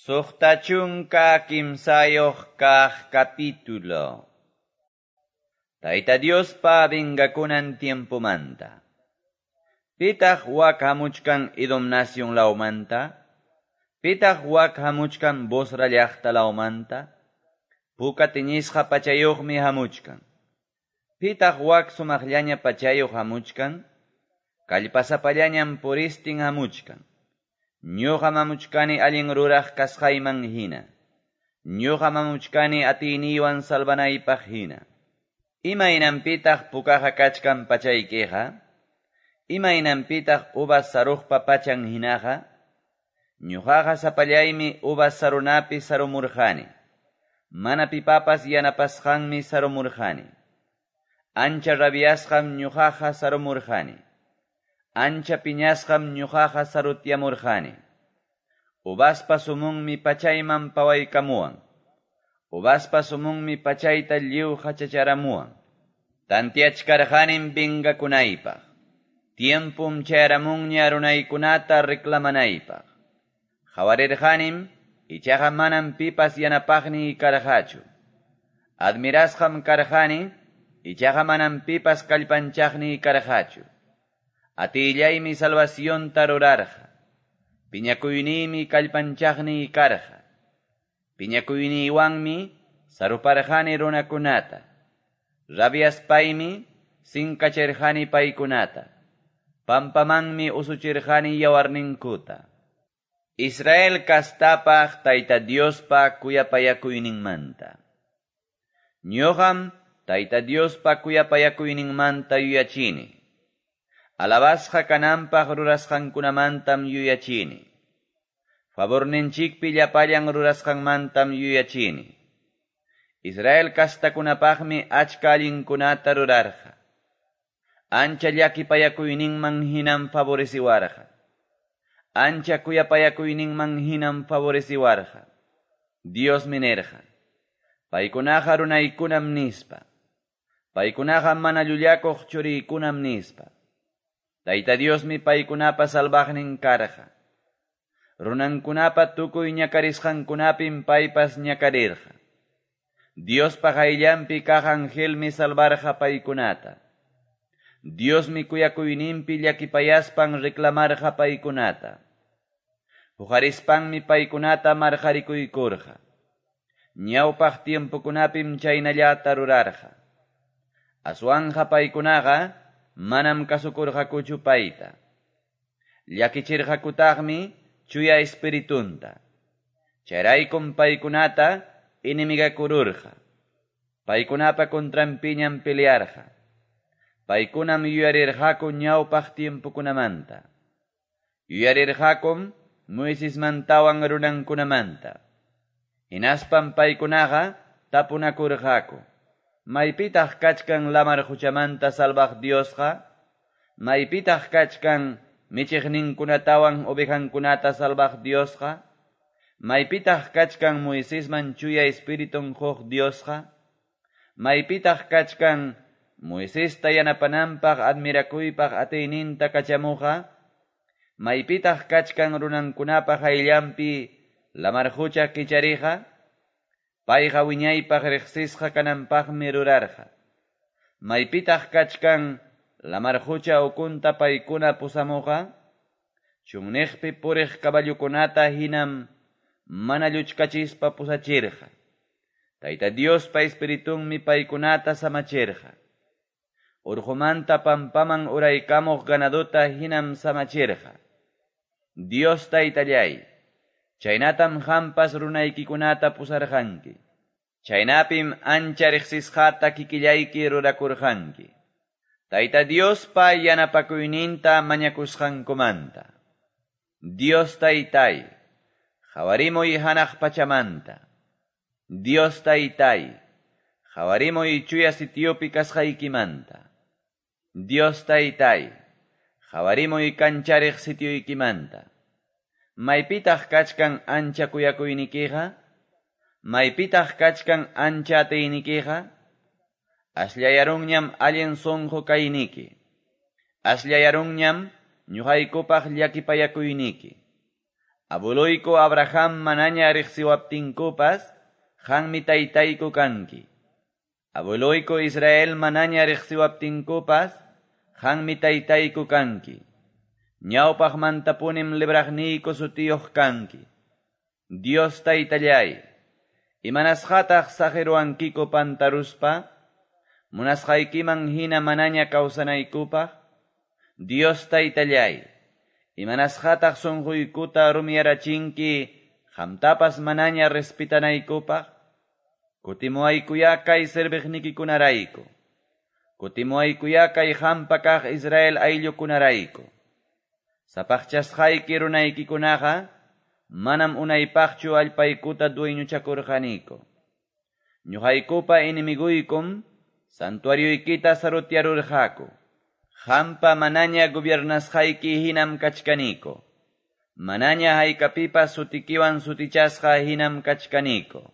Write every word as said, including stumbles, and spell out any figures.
Suqta chunka kimsayuq kaq capítulo. Tayta Diospa vengakunan tiempomanta. Pitaq wak hamuchkan Edom nación lawmanta? Pitaq wak hamuchkan Bosra llaqta lawmanta? Puka tiñisqa pachayuqmi hamuchkan. Pitaq wak sumaqllaña pachayuq hamuchkan? Kallpasapallañam puristin hamuchkan. Ñuqa mamuchkani allin ruraq kasqayman hina. Ñuqa mamuchkani atiyniywan salvanaypaq hina. Imaynanpitaq pukaqa kachkan pachaykiqa? Imaynanpitaq uvas saruqpa pachan hinaqa? Ñuqaqa sapallaymi uvas sarunapi sarumurqani. Mana pipapas yanapasqanmi sarumurqani. Ancha rabiasqam ñuqaqa sarumurqani. Ancha piñasqam ñuqaqa sarutyamurqani. Uvaspa sumunmi pachayman pawaykamuwan. Uvaspa sumunmi pachayta lliw hachacharamuwan. Tantiachkarqanim vengakunaypaq. Tiempum chayaramunña runaykunata reclamanaypaq. Qawarirqanim, ichaqa manam pipas yanapaqniy karqachu. Admirasqam karqani, ichaqa manam pipas kallpanchaqniy karqachu. Atillaymi salvacionta rurarqa. Piñakuyniymi kallpanchaqniy karqa. Piñakuyniywanmi saruparqani runakunata. Rabiaspaymi sinkachirqani paykunata. Pampamanmi usuchirqani yawarninkuta. Israel kastapaq Tayta Diospa kuyapayakuyninmanta. Ñuqam Tayta Diospa kuyapayakuyninmanta yuyachini. Alabasqa kananpaq rurasqankunamantam yuyachini. Favorninchikpi llapallan rurasqanmantam yuyachini. Israel kastakunapaqmi achka allinkunata rurarqa. Ancha llakipayakuyninman hinam favoreciwarqa. Ancha kuyapayakuyninman hinam favoreciwarqa. Diosmi nirqa. Paykunaqa runaykunam nispa. Paykunaqa mana llullakuq churiykunam nispa. Tayta Diosmi paykunapa salvaqnin karqa. Runankunapa tukuy ñakarisqankunapim paypas ñakarirqa. Diospa qayllanpi kaq angelmi salvarqa paykunata. Diosmi kuyakuyninpi llakipayaspan reclamarqa paykunata. Huqarispanmi paykunata marqarikuykurqa. Ñawpaq tiempokunapim chaynallata rurarqa. Aswanja paykunaqa manam kasukurqakuchu payta. Llakichirqakutaqmi chuya espiritunta. Chayraykum paykunata enemigakururqa. Paykunapa contranpiñam pelearqa. Paykunam yuyarirqaku ñawpaq tiempokunamanta. Yuyarirqakum Moisesmantawan runankunamanta. Hinaspam paykunaqa tapunakurqaku. Maypitaq kachkan lamar quchamanta salvaq Diosqa? Maypitaq kachkan michiqninkunatawan ovejankunata salvaq Diosqa? Maypitaq kachkan Moisesman chuya espiritun quq Diosqa? Maypitaq kachkan Moisesta yanapananpaq admirakuypaq atiyninta kachamuqa? Maypitaq kachkan runankunapa qayllanpi lamar qucha kichariqa? Payqa wiñaypaq riqsisqa kananpaqmi rurarqa. Maypitaq kachkan lamar qucha ukunta paykuna pusamuqa? Chunniqpi puriq caballukunata hinam mana lluchkachispa pusachirqa. Tayta Diospa espiritunmi paykunata samachirqa. Urqumanta pampaman uraykamuq ganadota hinam samachirqa. Dios Taytallay, chaynatam qampas runaykikunata pusarqanki. Chaynapim ancha riqsisqata kikillayki rurakurqanki. Tayta Diospa yanapakuyninta mañakusqankumanta. Dios Taytay, qhawarimuy hanaq pachamanta. Dios Taytay, qhawarimuy chuya sitiopi kasqaykimanta. Dios Taytay, qhawarimuy kanchariq sitioykimanta. Maypitaq kachkan ancha kuyakuynikiqa? Maypitaq kachkan ancha atiynikiqa? Asllayarunñam allin sunqu kayniki. Asllayarunñam ñuqaykupaq llakipayakuyniki. Abueloyku Abraham manaña riqsiwaptinkupas, qanmi taytayku kanki. Abueloyku Israel manaña riqsiwaptinkupas, qanmi taytayku kanki. Ñawpaqmantapunim libraqniyku sutiyuq kanki. Dios taytallay, imanasqataq saqiruwankiku pantaruspa? Munasqaykiman hina manaña kawsanaykupaq? Dios taytallay, imanasqataq sunquykuta rumiyarachinki qamtapas manaña respetanaykupaq? Kutimuwaykuyá kay serviqnikikunarayku. Kutimuwaykuyá kay qampa kaq Israel ayllukunarayku. Sapaqchasqayki runaykikunaqa manam unaypaqchu allpaykuta dueñochakurqaniku. Ñuqaykupa enemiguykum santuarioykita sarutyarurqaku. Qampa manaña gobiernasqayki hinam kachkaniku. Manaña haykapipas sutikiwan sutichasqa hinam kachkaniku.